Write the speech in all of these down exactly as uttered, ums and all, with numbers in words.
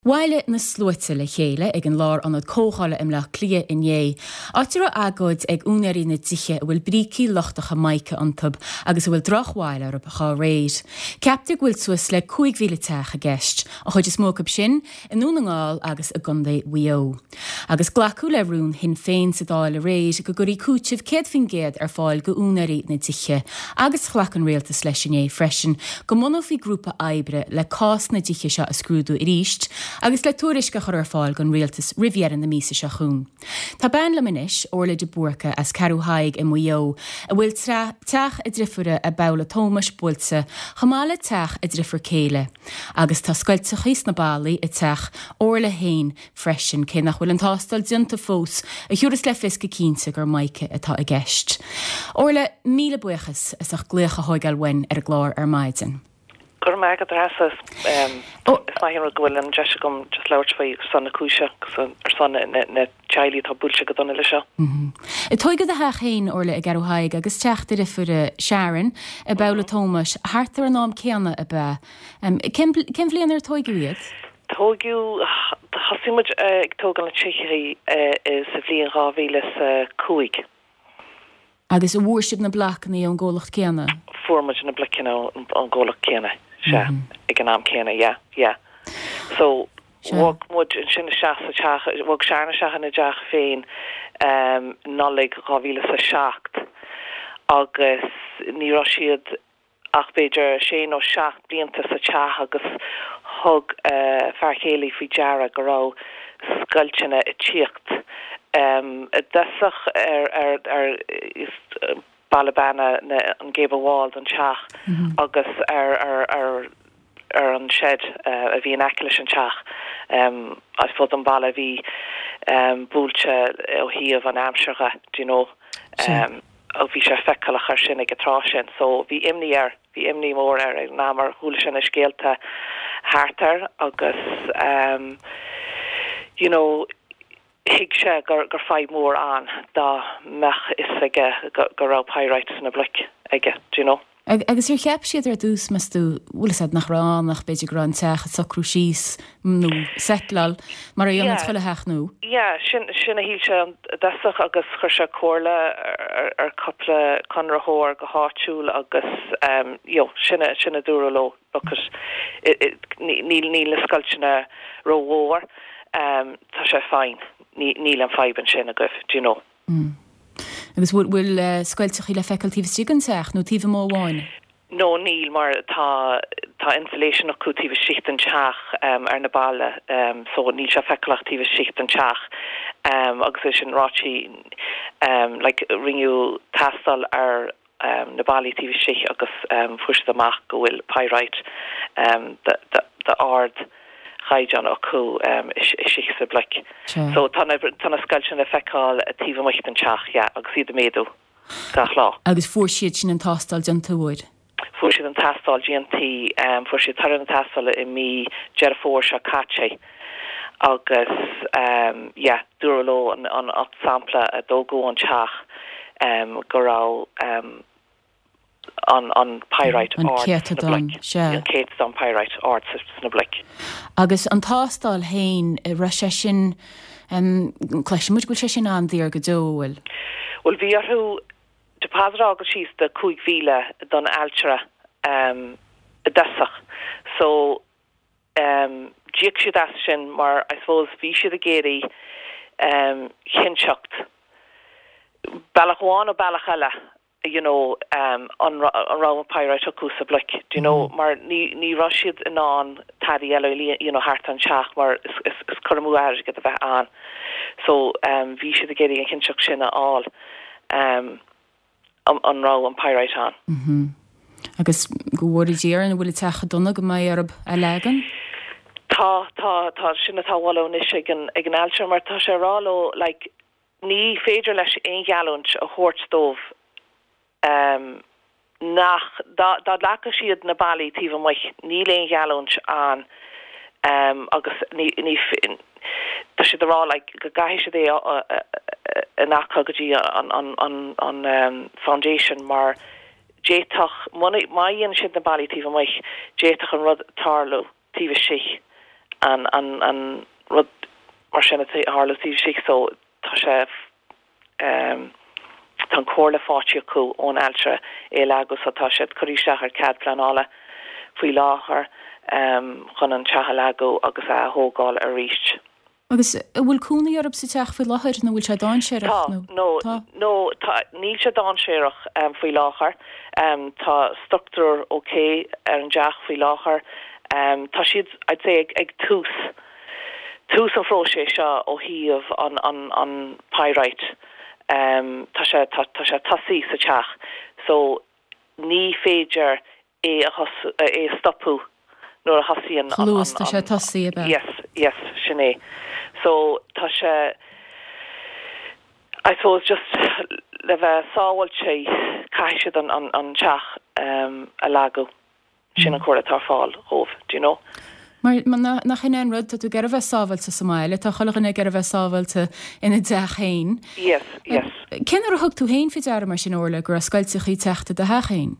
Bhailigh na sluaite le chéile ag an Lárionad Comhdhála i mBaile Átha Cliath inné, áit a raibh agóid ag úinéirí na dtithe a bhfuil brící lochtacha mica iontu agus a bhfuil drochbhail orthu dá réir. Ceaptar go bhfuil suas le cúig mhíle teach i gceist, an chuid is mó acu sin i nDún na nGall agus i gContae Mhaigh Eo. Agus glacadh le rún Shinn Féin sa Dáil aréir go gcuirfí cúiteamh céad faoin gcéad ar fáil go úinéirí na dtithe, agus ghlac an rialtas leis inné freisin go mbunófaí grúpa oibre le cás na dtithe seo a scrúdú arís agus le tuairisc a chur ar fáil don rialtas roimh dheireadh na míosa seo chugainn. Tá bean liom anois, Orla de Búrca as Ceathrú Thaidhg i Maigh Eo, a bhfuil teach a deirfiúre i Babhla Tómais buailte, chomh maith le teach a deirfiúr céile. Agus tá scoilteachaí sna ballaí i teach Orla féin freisin, cé nach bhfuil an tástáil déanta fós a thabharfas le fios go cinnte gur mica atá i gceist. Orla, míle buíochas as ucht glaoch a thógáil uainn ar an gclár ar maidin. Go raibh maith agat, Treasa. Is maith an rud go bhfuil an deis agam just labhairt faoi ar son na cúise agus ar son na teaghlaigh atá buailte go dona leis seo. Tógadh do theach féin, Orla, i gCeathrú Thaidhg agus teach do dheirfiúre Sharon i Babhla Tómais thart ar an am céanna ab ea. Cén bhliain ar tógadh iad? Tógadh, thosaigh muid ag tógáil na tithe sa bhliain dhá mhíle is a cúig. Agus an bhfuair sibh na blocanna ón gcomhlacht céanna? Fuair muid na blocanna ón gcomhlacht céanna, sea, ag an am céanna, yeah, yeah. So, bhog muid ansin isteach sa teach, bhog Sharon isteach ina dteach féin Nollaig dhá mhíle is a seacht agus ní raibh siad ach b'fhéidir sé nó seacht blianta sa teach agus thug fear céile faoi deara go raibh scoilteanna ag tíocht i dtosach ar ar ar balla beanna an gable wall don teach agus ar ar ar ar an shed a bhí in aice leis an teach. I suppose an balla a bhí buailte ó thaobh an aimsir dhe, do you know. Bhí sé feiceálach ar sin ag an tráth sin, so bhí imní air, bhí imní mór air ag an am mar chuala sé na scéalta thart air agus you know, thuig sé gur gur fadhb mór ann dá mbeadh fhios aige go go raibh pyrite sna bloic aige, do you know. Agus ar cheap siad ar dtús, meas tú, bhfuil fhios agat nach raibh ann ach b'fhéidir go raibh an teach ag socrú síos nó settleáil mar a dhéanann chuile theach nua? Yeah, sin sin a shíl sé i dtosach agus chuir sé comhairle ar ar cúpla conraitheoir go háitiúil agus um, you know, sin a sin a dúradh leo because níl níl na scoilteanna rómhór, um, tá sé fine, níl an fadhb ansin agaibh, do you know. Mm. Agus bhfuil bhfuil scoilteachaí le feiceáil taobh istigh den teach nó taobh amuigh amháin? No, níl mar tá tá insulation acu taobh istigh den teach um, ar na balla um, so níl sé feiceálach taobh istigh den teach um, agus é sin ráite um, like, rinneadh tástáil ar um, na ballaí taobh istigh agus um, fuair siad amach go bhfuil pyrite um, d'ardchaighdeán acu um, istigh sa bloic. So tá na tá na scoilteanna le feiceáil taobh amuigh den teach yeah, agus iad ag méadú gach lá. Agus fuair siad sin an tástáil déanta uair? Fuair siad an tástáil déanta um, fuair siad toradh na tástála i mí Deireadh Fómhair seo caite agus um, yeah, dúradh leo an, an, an sampla a tógadh ón teach um, go raibh um, an an pyrite An céatadán, sea. An céatadán pyrite ard sna bloic. Agus an tástáil féin raibh sé sin um, cloisimid go bhfuil sé sin an-daor go deo bhfuil. Well bhí orthu deposit a fhágáil síos de cúig mhíle don ailtire um, i dtosach. So um, d'íoc siad as sin mar I suppose bhí siad ag iarraidh um, cinnteacht bealach amháin nó bealach eile you know um, an an raibh an pyrite acu sa bloic do you know mm. mar ní ní raibh siad in ann tada eile you know thart an teach mar is, is, is cur amú airgid a bheith ann so um, bhí siad ag iarraidh an chinnteacht sin a fháil um, an, an raibh an pyrite ann. Mm -hmm. Agus go bhfuil Dia an bhfuil teach dona go mbeidh orthu a leagan? Tá tá tá sin atá anois ag an ag an ailtire mar tá sé rá leo like, ní féidir leis aon gheallúint a thabhairt dóibh um, nach dá dá leagfadh siad na ballaí taobh amuigh níl aon gheallúint ann um, agus ní ní tá siad rá like, go gcaithfidh siad é in acu go dtí an an an an um, foundation mar d'fhéadfadh má dhéanann siad na ballaí taobh amuigh d'fhéadfadh an rud tarlú taobh istigh an an an rud mar sin a tharla taobh istigh so tá sé um, tá an comhairle faighte acu ón ailtire é leagadh so tá siad curtha isteach ar cead pleanála faoi láthair um, chun an teach a leagadh agus a thógáil arís. Agus an bhfuil cónaí oraibh sa teach faoi láthair nó bhfuil sé dainséarach nó no no tá níl sé dainséarach um, faoi láthair um, tá struchtúr ok ar an teach faoi láthair um, tá siad I'd say ag, ag tús tús an phróiseas seo ó thaobh an an an pyrite um, tá sé tá, tá sé tosaithe sa teach so ní féidir é a é stopadh nuair a thosaíonn Luas tá sé tosaithe Yes yes sin é so tá sé I suppose just le bheith sábháilte caithfidh siad an an an teach um, a leagadh sin an chomhairle atá ar fáil dóibh do you know Mar nach in an rud tá tú ag iarraidh bheith sábháilte sa mbaile, tá chuile dhuine ag iarraidh bheith sábháilte ina dteach féin. Yes, yes. Cén uair a thug tú féin faoi deara mar sin Orla go raibh scoilteachaí ag teacht i do theach féin?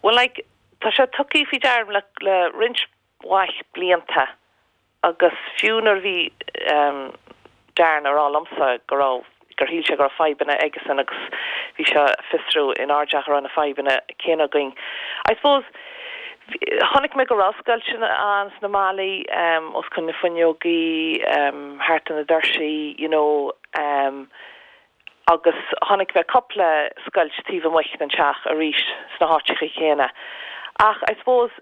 Well like tá sé tugtha faoi deara le, le roinnt mhaith blianta agus fiú nuair bhí um, Darren ag rá liomsa go raibh gur shíl sé go raibh fadhbanna aigesan agus bhí sé fiosrú in ár dteach na fadhbanna céanna againn. I suppose chonaic mé go raibh scoilteanna ann sna ballaí um, os cionn na fuinneogaí um, thart na doirsí you know, um, agus chonaic mé cúpla scoilt taobh amuigh den teach arís sna háiteacha céanna. Ach I suppose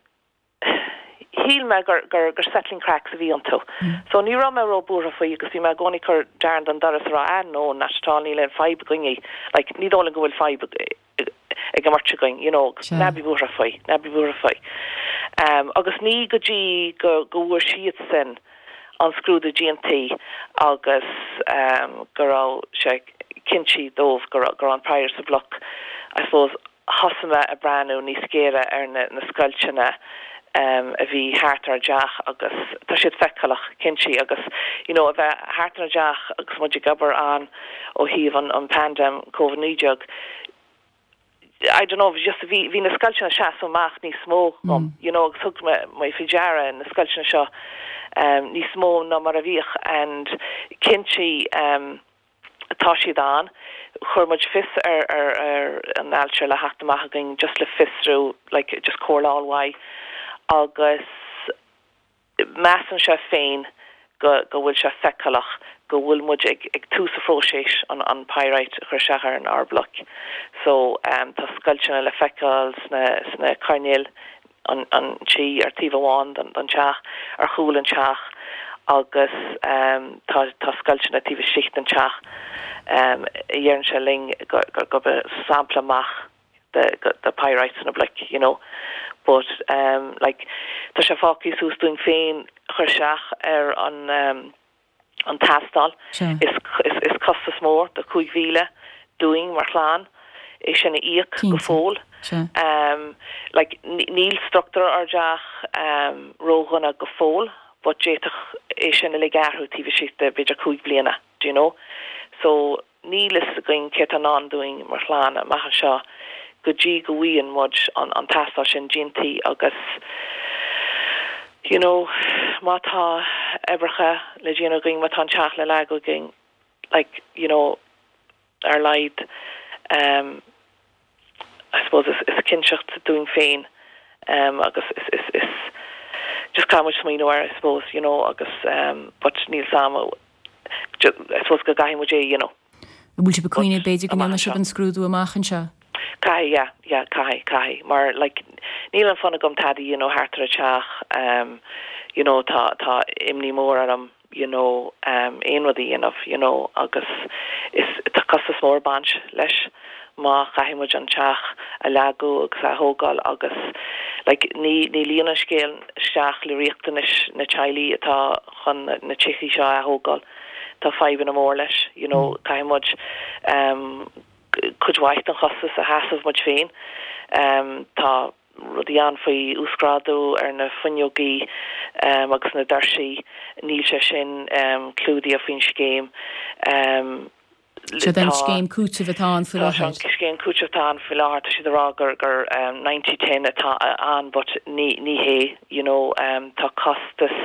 shíl mé gur gur gur settling cracks a bhí iontu. Mm. So ní raibh mé róbhuartha faoi agus bhí mé i gcónaí ag cur Darren den doras rá an nó natural níl aon fadhb againn like, ní dóigh go bhfuil fadhb ag an mbeirt againn you know ná bí buartha faoi ná bí buartha faoi. Um, agus ní go dtí go go bhfuair siad sin an scrúdú déanta agus um, go raibh sé cinnte dóibh go go an pyrite sa bhloc I suppose thosaigh mé ag breathnú níos géire ar na, na scoilteanna um, a bhí thart ar teach agus tá siad feiceálach cinnte agus you know, a bheith thart ar teach agus muid ag obair ann ó thaobh an, an pandem COVID naoi déag. I don't know just bhí bhí na scoilteanna ag seasamh amach níos mó um, mm. you know thug mé mé faoi deara na scoilteanna seo um, níos mó ná mar a bhíodh and cinnte um, tá siad ann chuir muid fios ar ar ar an ailtire le theacht amach againn just le fiosrú like just comhairle uaidh agus measann sé féin go go bhfuil sé feiceálach go bhfuil muid ag, ag tús a phróiseas an an pyrite chur isteach ar an ár bloc. So um, tá scoilteanna le feiceáil sna sna coirnéil an an tí ar taobh amháin den den teach ar chúl an teach agus um, tá tá scoilteanna taobh istigh den teach um, deireann sé linn go go go be sampla amach the the pyrite sna bloic you know but um like tá sé fágtha suas dúinn féin chur isteach ar an um, an tástáil is is is costas mór de cúig mhíle dúinn mar chlann é sin a íoc go fóill um like níl struchtúr ár dteach um ródhona go fóill but d'fhéadfadh é sin a athrú taobh istigh de b'fhéidir cúig bliana do you know so níl a fhios againn céard atá i ndán dúinn mar chlann amach anseo go dtí go bhfaigheann muid an an tástáil sin déanta agus you know má tá oibreacha le déanamh againn má tá an teach le leagadh againn like you know ar leid um I suppose is is cinnteacht dúinn féin um agus is is is just caithfidh muid smaoineamh air I suppose you know agus um but níl sam I suppose go gcaithfidh muid é you know Bhfuil sibh ag cuimhneamh b'fhéidir go ndéanfaidh sibh an scrúdú amach anseo? Caithfidh yeah yeah caithfidh caithfidh mar like níl an fonn agam tada you know thart ar an teach um you know tá tá imní mór orm you know um aon rud a dhéanamh you know agus is tá costas mór ag baint leis má chaithfidh muid an teach a leagadh agus a thógáil agus like ní ní luíonn an scéal isteach le riachtanais na teaghlaigh atá chun na tithe seo a thógáil tá fadhbanna mór leis you know mm. caithfidh muid um cuid mhaith den chostas a sheasamh muid féin um tá rudaí ann faoi uasghrádú ar na fuinneogaí um, agus na doirsí níl sé sin um, clúdaithe faoin scéim um, Sé den scéim cúitimh atá ann faoi láthair. Scéim cúitimh atá ann faoi láthair tá siad ag rá gur gur um, ninety ten atá ann but ní ní hé you know um, tá costas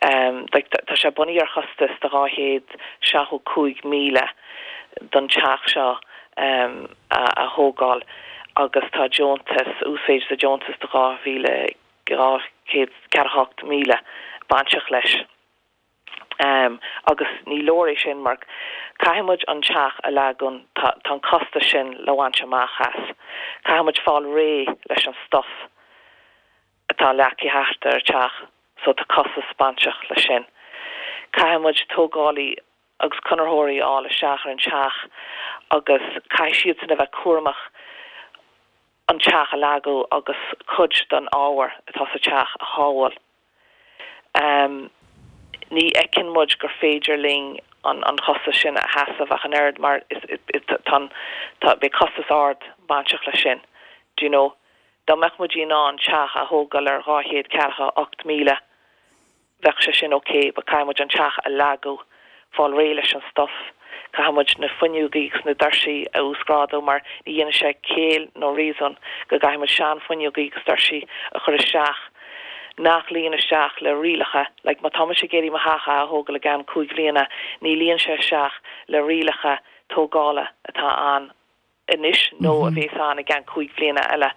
um, like, tá sé bunaithe ar chostas de dhá chéad seachtó cúig míle don teach seo um, a, a thógáil agus tá deontas uasmhéid de deontas de dhá mhíle dhá chéad ceathracha hocht míle bainteach leis. Um, agus ní leor é sin mar caithfidh muid an teach a leagan tá an costas sin le bhaint amach as. Caithfidh muid fáil réidh leis an stuff atá leagtha thart ar teach so tá costas bainteach leis sin. Caithfidh muid tógálaí agus conraitheoirí a fháil isteach ar an teach agus caithfidh siad sin a bheith cúramach an teach a leagadh agus cuid den ábhar atá sa teach a shábháil. Um, ní fheiceann muid gur féidir linn an an costas sin a sheasamh ach an oiread mar is tá tá beidh costas ard bainteach leis sin. Do you know? Dá mbeadh muid in ann teach a thógáil ar dhá chéad ceathracha ocht míle bheadh sé sin ok, but caithfidh muid an teach a leagadh fáil réidh leis an stuff. Caithfidh muid na fuinneogaí agus na doirsí a uasghrádú mar ní dhéanann sé ciall nó réasún go gcaithfidh muid seanfhuinneogaí agus doirsí a chur isteach nach luíonn isteach le rialacha, like má tá mise ag iarraidh mo theach a thógáil i gceann cúig bliana, ní luíonn sé isteach le rialacha tógála atá ann anois nó a bheas ann i gceann cúig bliana eile.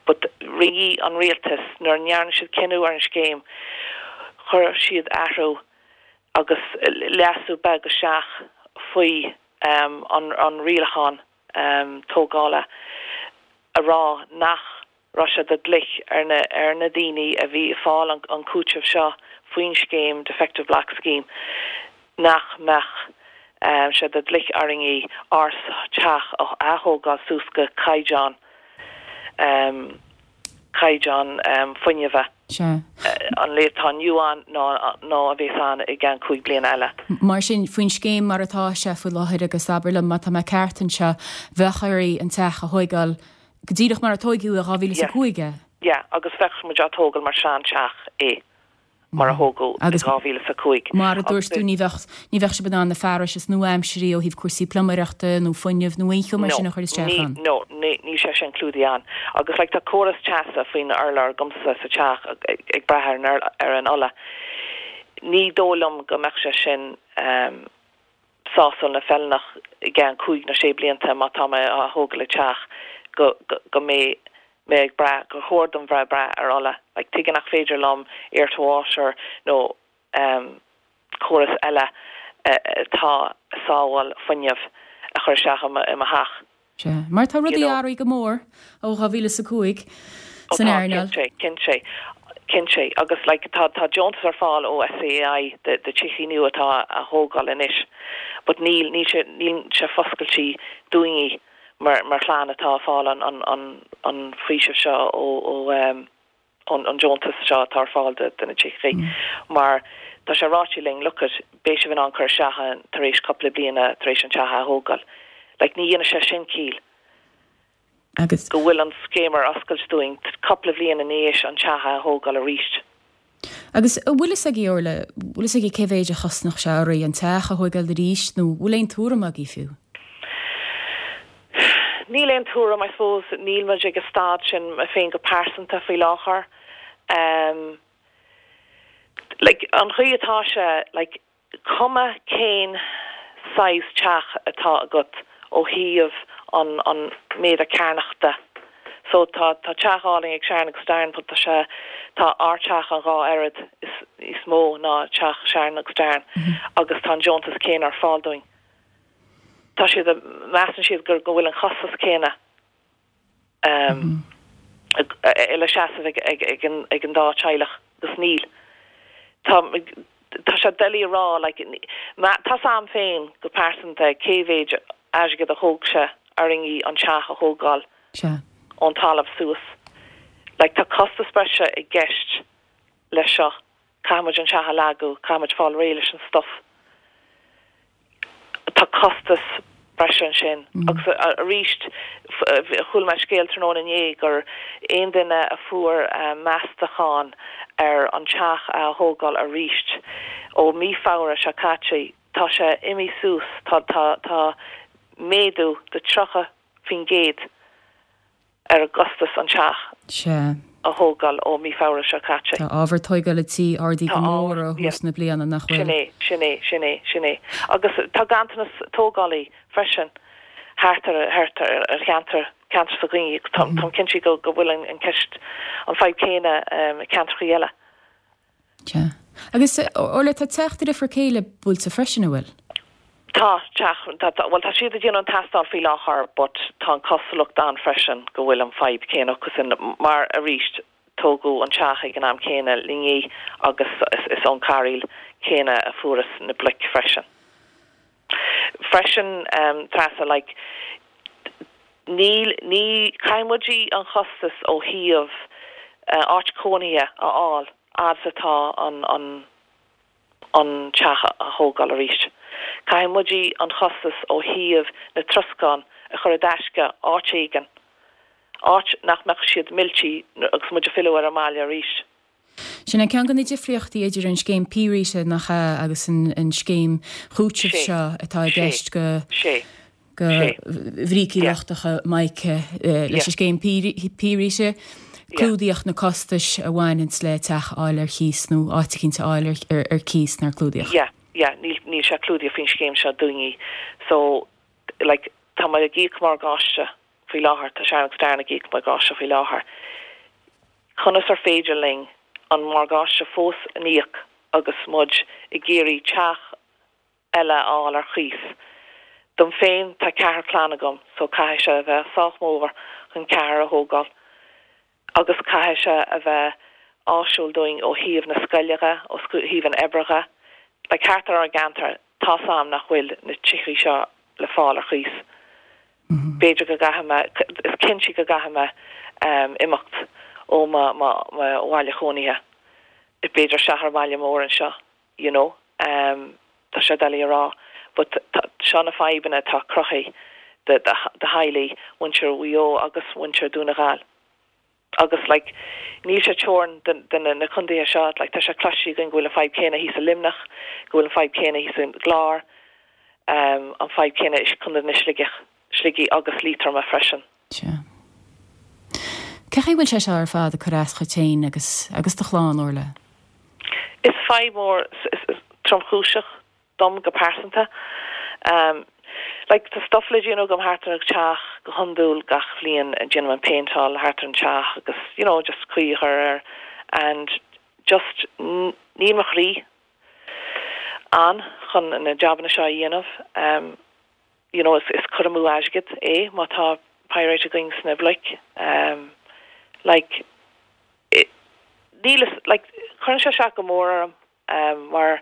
But rinne an rialtas nuair a ndearna siad cinneadh ar an scéim, chuir siad athrú agus leasú beag isteach faoi um, an, an rialachán um, tógála a rá nach raibh sé de dhlith ar na, ar na daoine a bhí ag fáil an, an cúiteamh seo faoin scéim Defective Block Scheme nach mbeadh um, sé de dhlith orainn ár teach a thógáil suas go caighdeán um, caighdeán um, fuinnimh. Sea. An lae atá inniu ann nó nó a bheas ann i gceann cúig bliana eile. Mar sin faoin scéim mar atá sé faoi láthair agus abair liom má tá mé ceart anseo bheadh oraibh an teach a thógáil go díreach mar a tógadh i dhá mhíle is a cúig é. Yeah, agus bheadh muid á tógáil mar sean teach é mar a thógadh i Agus dhá mhíle is a cúig. Mar a dúirt tú ní bheadh ní bheadh sibh in ann na fearais is nua-aimseartha ó thaobh cúrsaí pluiméireachta nó fuinnimh nó aon cheo mar sin a chur isteach ann. No, ní ní sé sin clúdaithe ann. Agus like, tá córas teasa faoin urlár agamsa sa teach ag, ag brath ar an ur- ar an ola. Ní dóigh liom go mbeadh sé sin um, sásúil ná feiliúnach i gceann cúig nó sé blianta má tá mé á thógáil le teach go, go, go mbeidh mé ag brath gur chóir dom bheith brath ar ola. Like, tuige nach féidir liom air to water nó um, córas eile atá sábháil fuinneamh a chur isteach i mo i mo theach. Sea. Mar tá rudaí You know. athraithe go mór ó dhá mhíle is a cúig Ó, san tá, earnáil. Cinnte, cinnte, cinnte. Agus like, tá tá deontas ar fáil ó SEAI de de tithe nua atá á thógáil anois. But níl níl sé níl sé foscailte dúinne mar mar chlann atá ag fáil an an an an faoiseamh seo ó ó um, an an deontas seo atá ar fáil de de na tithe. Mar tá sé ráite linn look at beidh sibh in ann cur isteach ann tar éis cúpla bliana tar éis an teach a thógáil. Like ní dhéanann sé sin ciall. Agus go bhfuil an scéim ar oscailt dúinn cúpla bliain in éis an teach a thógáil arís. Agus an bhfuil fhios agaibh Orla, bhfuil fhios agaibh cé mhéid a chosnódh sé oraibh an teach a thógáil arís nó bhfuil aon tuairim agaibh fiú? Níl aon tuairim I suppose níl muid ag an staid sin mé féin go pearsanta faoi láthair. Um, like, an chaoi atá sé like, cuma cén size teach atá agat ó thaobh an an méadar cearnachta. So tá tá teach álainn ag Sharon agus Darren but tá sé tá ár teach an dhá oiread is is mó ná teach Sharon agus Darren mm -hmm. agus tá an deontas céanna ar fáil dúinn. Tá siad measann siad gur go bhfuil an costas céanna um, mm -hmm. le seasamh ag, ag, ag, an, ag an dá teaghlach agus níl. Tá tá sé doiligh a rá like, tá sam féin go pearsanta cé mhéid airgead a thóg sé orainn an teach a thógáil ón talamh suas. Like, tá costas breise i gceist leis seo caithfimid an teach a leagadh, caithfimid fáil réidh leis an stuff. Tá costas breise ansin mm. agus arís chuala mé scéal tráthnóna inné gur aon duine a fuair um, meastachán ar an teach a thógáil arís ó mí Feabhra seo caite tá Tá sé imithe suas tá tá tá méadú de tríocha faoin gcéad ar a gcostas an teach. Sea. A thógáil ó mí Feabhra seo caite. Tá ábhar tógála tí ardaithe go mór ó thús na bliana nach bhfuil. Sin é, sin é, sin é, sin é. Agus tá ganntanas tógálaí freisin thart ar thart ar ar cheantar ceantar s'againne Táim cinnte go go bhfuil an ceist an fadhb céanna um, ceantracha eile. Sea. Agus Orla tá teach do dheirfiúr céile buailte freisin an bhfuil? Tá teach well tá siad ag déanamh an tástáil faoi láthair but tá an cosúlacht ann freisin go bhfuil an fadhb céanna sin mar arís tógadh an teach ag an am céanna linne agus is, is ón cairéal céanna a fuarthas na bloic freisin. Freisin um, Treasa like, níl ní caithfidh muid an chostas ó thaobh uh, áit cónaithe a fháil fhad atá an an an teach a thógáil arís. Caithfidh muid an chostas ó thaobh na troscán a chur i dtaisce áit éigin. Áit nach mbeadh siad millte agus muid ag filleadh ar an mbaile arís. Sin ceann de na difríochtaí idir an scéim pírithe nach ea agus an, an scéim chúitimh seo atá i gceist go go bhrící lochtacha mica leis an scéim pírite. Clúdaíodh na costais a bhaineann le teach a fháil ar chíos nó áit éicint a fháil ar, ar cíos nár clúdaíodh. Yeah, yeah, níl níl sé clúdaithe faoin scéim seo dúinne. So like tá mé ag íoc morgáiste faoi láthair tá Sharon agus Darren ag íoc morgáiste faoi láthair. Conas ar féidir linn an morgáiste fós a íoc agus muid ag iarraidh teach eile a fháil ar chíos. Dom féin tá ceathrar clann agam, so caithfidh sé a bheith sách mór chun ceathrar a thógáil. Agus caithfidh sé a bheith áisiúil dúinn ó thaobh na scoile dhe, ó thaobh an oibre dhe. Le thart ar ár gceantar tá sam nach bhfuil na tithe seo le fáil ar chíos. B'fhéidir go gcaithfidh mé is cinnte go gcaithfidh mé um, imeacht ó bhaile chónaithe. B'fhéidir isteach ar bhaile mór anseo, you know, um, tá sé doiligh a rá, but seo na fadhbanna atá cruthaithe de de theaghlaigh mhuintir Mhaigh Eo agus muintir Dhún na nGall. Agus like níl sé teoranta de na na contaetha seo like tá sé cloiste againn go bhfuil an fadhb céanna thíos i Luimneach, go bhfuil an fadhb céanna thíos i gClár, um, an fadhb céanna is chun na Sligeach, Sligigh agus Liatroma freisin. Sea. Cé bhfuil sé seo ar fad ag cur as duit féin agus agus do chlann Orla? Is fadhb mór tromchúiseach dom go pearsanta. Um, like tá stuff le déanamh agam thart ar an teach go hiondúil gach bliain déanaim an péinteáil thart ar an teach agus you know just caoi a chur air and just níl mo chroí ann chun na jabanna seo a dhéanamh um, you know is, is cur amú airgid é má tá pyrite againn sna bloic um, like níl like chuir sé sé go mór orm um, mar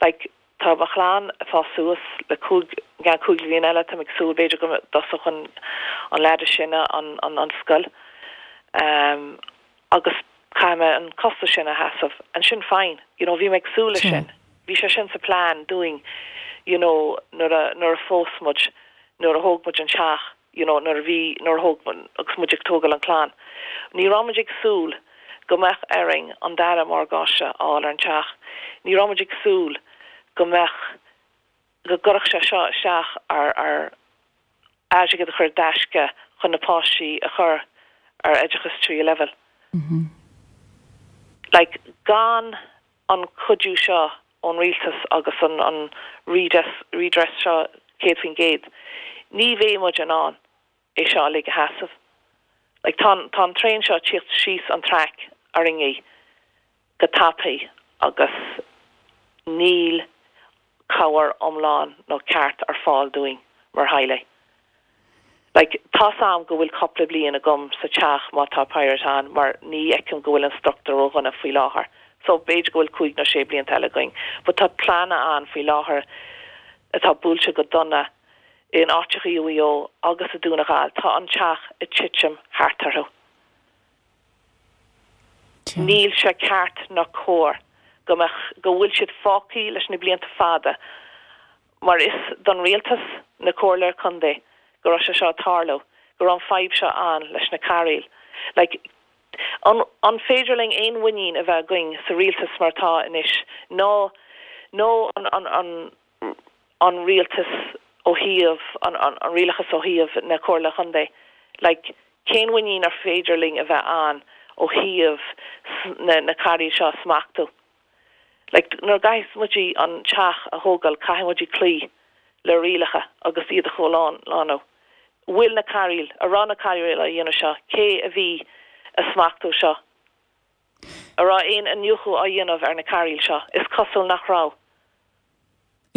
like tá mo chlann ag fás suas le cúig gan cúig bliain eile tá ag súil b'fhéidir go dtosódh an an leaid sin an an an scoil um, agus caithfidh mé an costas sin a sheasamh and sin fine you know bhí mé ag súil leis sin bhí sé sin sa plean dúinn you know nuair a nuair a phós muid nuair a thóg muid an teach you know nuair a bhí nuair a thóg agus muid ag tógáil an clann ní raibh muid ag súil go mbeadh orainn an dara morgáiste a fháil ar an teach ní raibh muid ag súil go mbeadh go gcuirfeadh sé seo isteach ar ar airgead a chur i dtaisce chun na páistí a chur ar oideachas tríú leibhéal. Mm -hmm. Like gan an cuidiú seo ón rialtas agus an an redress redress seo céad faoin gcéad. Ní bheidh muid in ann é seo le a sheasamh. Like tá tá an traein seo tíocht síos an traic orainn go tapaidh agus níl cabhair iomlán nó ceart ar fáil dúinn mar theaghlaigh. Like tá am go bhfuil cúpla bliain agam sa teach má tá pyrite ann mar ní fheicim go bhfuil an struchtúr ródhona faoi láthair. So b'fhéidir go bhfuil cúig nó sé blianta eile againn, but tá pleananna ann faoi láthair atá buailte go dona in áiteacha i Maigh Eo agus i Dún na nGall tá an teach ag titim thart orthu. Níl sé ceart ná cóir go mbeadh go bhfuil siad fágtha leis na blianta fada mar is don rialtas na comhairle contae go raibh sé seo tarlú go raibh an fadhb seo ann leis na cairéil. Like, an, an féidir linn aon mhuinín a bheith againn sa rialtas mar atá anois nó nó an, an, an, an rialtas ó thaobh an, an, an rialachas ó thaobh na Comhairle Contae. Like, cén mhuinín ar féidir linn a bheith ann ó thaobh na, na cairéil seo smachtú. Like, nuair a chaithfidh muid an teach a thógáil caithfidh muid cloí le rialacha agus iad a chomhlánú. Bhfuil na cairéil a raibh na cairéil a dhéanamh seo, cé a bhí ag smachtú seo. A raibh aon iniúchadh á dhéanamh ar na cairéil seo, is cosúil nach raibh.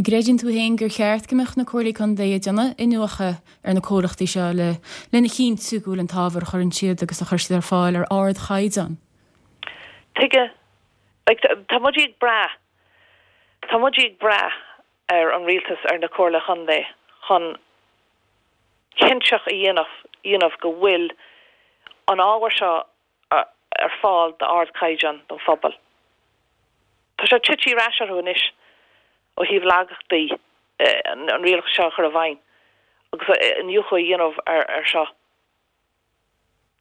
Creideann tú féin gur cheart go mbeadh na comhairlí contae ag déanamh iniúchadh ar na comhlachtaí seo le lena chinntiú go bhfuil an t-ábhar a chuireann siad agus a chuir siad ar fáil ar ardchaighdeán. Tuige like, tá muid ag brath Tá muid ag brath ar an rialtas ar na comhairle contae chun cinnteach a dhéanamh dhéanamh go bhfuil an ábhar seo ar fáil d'ardchaighdeán don phobal. Tá sé tite ar ais orthu anois ó thaobh laigeachtaí an rialachas seo chur i bhfeidhm agus iniúchadh a dhéanamh ar ar seo.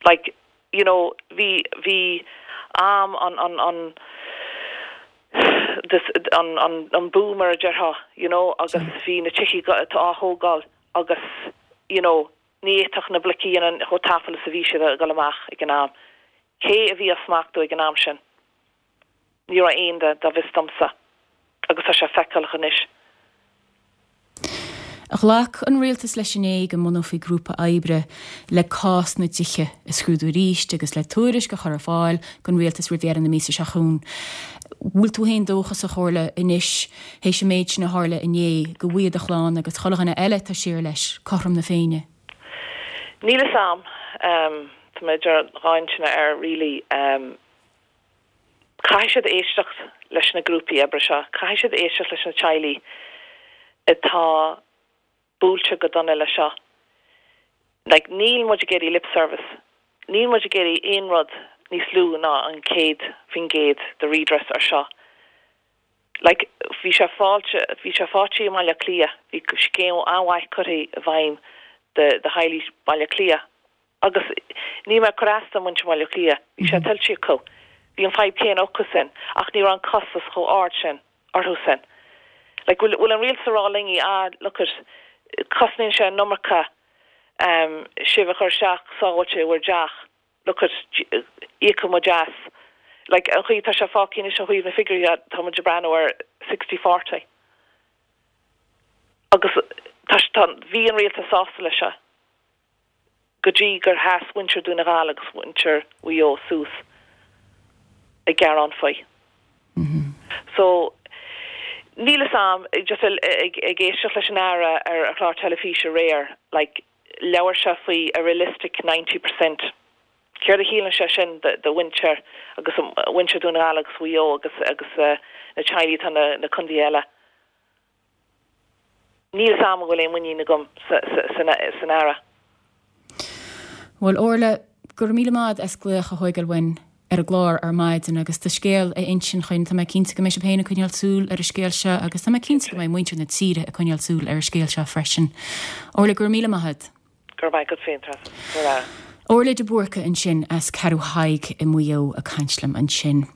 Like you know bhí bhí am an an an this an an an boom mar a déarfá you know agus bhí na tithe á thógáil agus you know ní fhéadfadh na bloicí an chomh tapa is a bhí siad ag dul amach ag an am. Cé a bhí á smachtú ag an am sin? Ní raibh aon duine dá bhfios domsa agus tá sé feiceálach anois. Ghlac an rialtas leis inné go mbunófaí grúpa oibre le cás na dtithe a scrúdú arís agus le tuairisc a chur ar fáil don rialtas roimh dheireadh na míosa seo chugainn. Bhfuil tú féin dóchasach Orla anois théis an méid sin a tharla inné go bhfaighidh do chlann agus chuile dhuine eile tá siar leis cothrom na Féinne. Níl a fhios agam um, tá mé idir dhá intinn air really um, caithfidh siad éisteacht leis na grúpaí oibre seo, caithfidh siad éisteacht leis na teaghlaigh atá buailte go dona le seo. Like, níl muid ag iarraidh lip service. Níl muid ag iarraidh aon rud níos lú ná an céad faoin gcéad de redress ar seo. Like, bhí sé fáilte bhí sé fáilte i mBaile Cliath, bhí scéim an-mhaith curtha i bhfeidhm de de theaghlaigh Baile Cliath. Agus ní mé churasta muintir Bhaile Cliath, bhí sé tuillte acu. Bhí an fadhb céanna acu sin, ach ní raibh an costas chomh ard sin orthu sin. Like, bhfuil bhfuil an rialtas ag rá linn ah look at cosnaíonn sé an iomarca um, sibh a chur isteach sábháilte i bhur dteach look at íocfaidh muid as. Like, an chaoi tá sé fágtha anois an chaoi na figiúirí tá muid ag breathnú ar sixty forty. Agus tá tá bhí an rialtas sásta leis seo. Go dtí gur sheas muintir Dhún na nGall agus muintir Mhaigh Eo suas ag gearán faoi. Mm -hmm. So níl a fhios agam just ag ag éisteacht leis an Aire ar a chlár teilifíse aréir like labhair sé faoi a realistic ninety percent. Céard a chiallaíonn sé sin de de mhuintir agus muintir Dhún na nGall agus Mhaigh Eo agus agus uh, na teaghlaigh atá na, na contaetha eile. Níl a fhios agam bhfuil aon mhuinín agam sa, sa, san, san Aire. Bhuel Orla go raibh míle maith as glaoch a thógáil uainn ar an gclár ar maidin agus do scéal a insint chugainn tá mé cinnte go mbeidh sibh féin ag coinneáil súil ar an scéal seo agus tá mé cinnte go mbeidh muintir na tíre ag coinneáil súil ar an scéal seo freisin. Orla go raibh míle maith. Gur mhaith go féin Orla de Búrca ansin as Ceathrú Thaidhg i Maigh Eo ag caint liom ansin.